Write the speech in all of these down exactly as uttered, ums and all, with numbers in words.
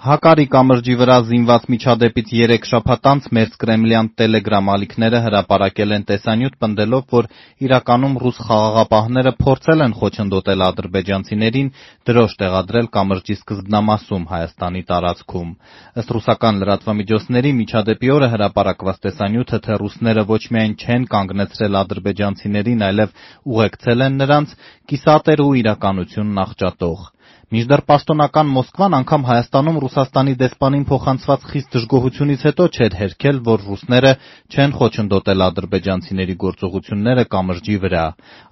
Հակարի կամրջի վրա զինված միջադեպից երեք շաբաթ անց մերձկրեմլյան տելեգրամ ալիքները հրապարակել են տեսանյութ, պնդելով, որ իրականում ռուս խաղաղապահները փորձել են խոչընդոտել ադրբեջանցիներին դրոշ տեղադրել կամրջի սկզբնամասում Հայաստանի տարածքում։ Ըստ ռուսական լրատվամիջոցների, միջադեպի օրը հրապարակված տեսանյութը, թե ռուսները ոչ միայն չեն կանգնեցրել ադրբեջանցիներին, այլև ուղեկցել են նրանց, կիսատ էր ու իրականությունն աղճատող։ Մինչդեռ պաշտոնական Մոսկվան անգամ Հայաստանում Ռուսաստանի դեսպանին փոխանցված խիստ դժգոհությունից հետո չէր հերքել, որ ռուսները չեն խոչընդոտել ադրբեջանցիների գործողությունները կամրջի վրա։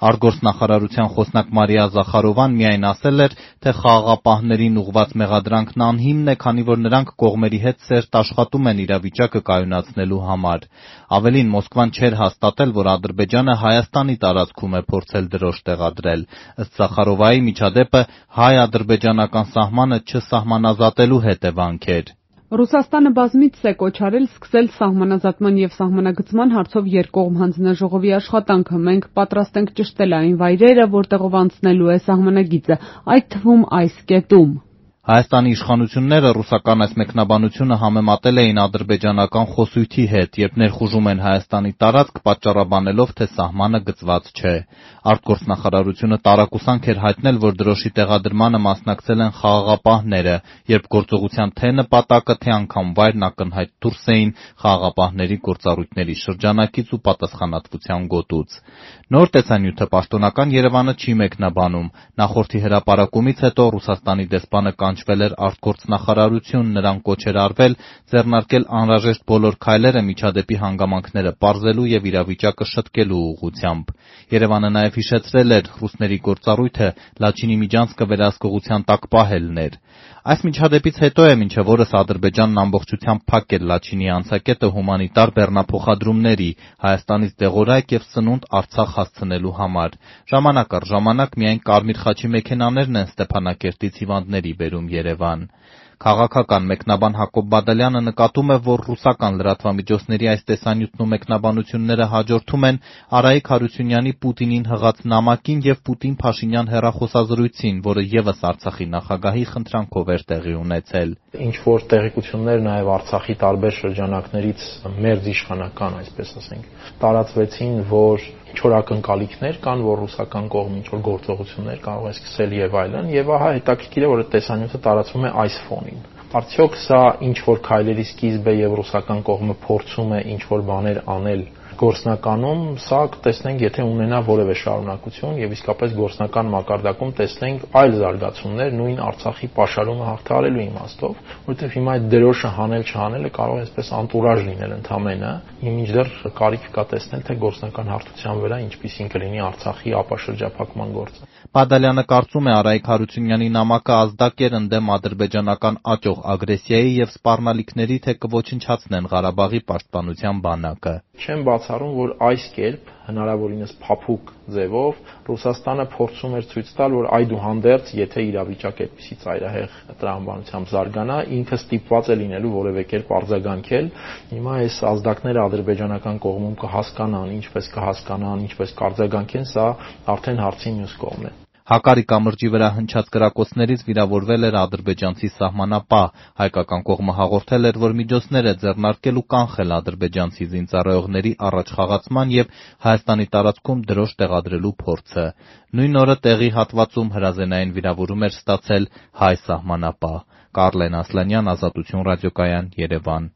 Արտգործնախարարության խոսնակ Մարիա Զախարովան միայն ասել էր, թե խաղաղապահներին ուղղված մեղադրանքն անհիմն է, քանի որ նրանք կողմերի հետ սերտ աշխատում են իրավիճակը կայունացնելու համար։ Ավելին, Մոսկվան չէր հաստատել, որ Ադրբեջանը Հայաստանի տարածքում է փորձել դրոշ տեղադրել։ Ըստ Զախարովայի, միջադեպը հայ-ադրբեջանական սահմանը չսահմանազատելու հետևանք էր։ Ռուսաստանը բազմիցս է կոչարել սկսել սահմանազատման եւ սահմանագծման հարցով երկկողմ հանձնաժողովի աշխատանքը։ Մենք պատրաստ ենք ճշտել այն վայրերը, որտեղով անցնելու է սահմանագիծը, այդ թվում այս կետում։ Հայաստանի իշխանությունները ռուսական այս մեկնաբանությունը համեմատել էին ադրբեջանական խոսույթի հետ, երբ ներխուժում են Հայաստանի տարածք, պատճառաբանելով, թե սահմանը գծված չէ։ Արտգործնախարարությունը տարակուսանք էր հայտնել, որ դրոշի տեղադրմանը մասնակցել են խաղաղապահները, երբ գործողության թե նպատակը, թե անգամ վայրն ակնհայտ դուրս էին խաղաղապահների գործառույթների շրջանակից ու պատասխանատվության գոտուց։ Նոր տեսանյութը պաշտոնական Երևանը չի մեկնաբանում։ Նախորդի հրապարակումից հետո Ռուսաստանի դեսպանը կանչվել էր արտգործնախարարություն, նրան կոչ էր արվել ձեռնարկել անհրաժեշտ բոլոր քայլերը միջադեպի հանգամանքները պարզելու եւ իրավիճակը շտկելու ուղղությամբ։ Երևանը նաեւ հիշեցրել էր, ռուսների գործառույթը Լաչինի միջանցքը վերահսկողության տակ պահելն էր։ Այս միջադեպից հետո է մինչև օրս Ադրբեջանն ամբողջությամբ փակել Լաչինի անցակետը հումանիտար բեռնափոխադրումների, Հայաստանից դեղորայք եւ սնունդ Արցախ հասցնելու համար։ Ժամանակ առ ժամանակ միայն Կարմիր խաչի մեքենաներն են Ստեփանակերտից հիվանդների բերում Երևան։ Քաղաքական մեկնաբան Հակոբ Բադալյանը նկատում է, որ ռուսական լրատվամիջոցների այս տեսանյութն ու մեկնաբանությունները հաջորդում են Արայիկ Հարությունյանի Պուտինին հղած նամակին եւ Պուտին-Փաշինյան հեռախոսազրույցին, որը եւս Արցախի նախագահի խնդրանքով էր տեղի ունեցել։ Ինչ-որ տեղեկություններ նաեւ Արցախի տարբեր շրջանակներից մերձիշխանական, այսպես ասենք, տարածվեցին, որ ինչ-որ ակնկալիքներ կան, որ ռուսական կողմը ինչ-որ գործողություններ կարող է սկսել եւ այլն, եւ ահա հետաքրքիր է, որ այդ տեսանյութը տարածվում է այս ֆոնին։ Արդյոք սա ինչ-որ քայլերի սկիզբ է եւ ռուսական կողմը փորձում է ինչ-որ բաներ անել գործնականում, սա կտեսնենք, եթե ունենա որևէ շարունակություն եւ իսկապես գործնական մակարդակում տեսնենք այլ զարգացումներ նույն Արցախի պաշարումը հաղթահարելու իմաստով, որովհետեւ հիմա այդ դրոշը հանել չհանելը կարող է այսպես անտուրաժ լինել ընդամենը, մինչդեռ կարիք կա տեսնել, թե գործնական հարթության վրա ինչպիսին կլինի Արցախի ապաշրջափակման գործը։ Բադալյանը կարծում է, Արայիկ Հարությունյանի նամակը ազդակ էր ընդդեմ ադրբեջանական աճող ագրեսիայի եւ սպառնալիքների, թե կոչնչացնեն Ղարաբաղի պաշտպանության բանակը։ Չեմ բացառում, որ այս կերպ հնարավորինս փափուկ ձևով Ռուսաստանը փորձում էր ցույց տալ, որ այդուհանդերձ, եթե իրավիճակը այդպիսի ծայրահեղ տրամաբանությամբ զարգանա, ինքը ստիպված է լինելու որևէ կերպ արձագանքել։ Հիմա այս ազդակները ադրբեջանական կողմում կհասկանան, ինչպես կհասկանան, ինչպես կարձագանքեն, սա արդեն հարցի մյուս կողմն է։ Հակարի կամրջի վրա հնչած կրակոցներից վիրավորվել էր ադրբեջանցի սահմանապահ։ Հայկական կողմը հաղորդել էր, որ միջոցներ է ձեռնարկել ու կանխել ադրբեջանցի զինծառայողների առաջխաղացման եւ Հայաստանի տարածքում դրոշ տեղադրելու փորձը։ Նույն օրը տեղի հատվածում հրազենային վիրավորում էր ստացել հայ սահմանապահ։ Կարլեն Ասլանյան, Ազատություն ռադիոկայան, Երևան։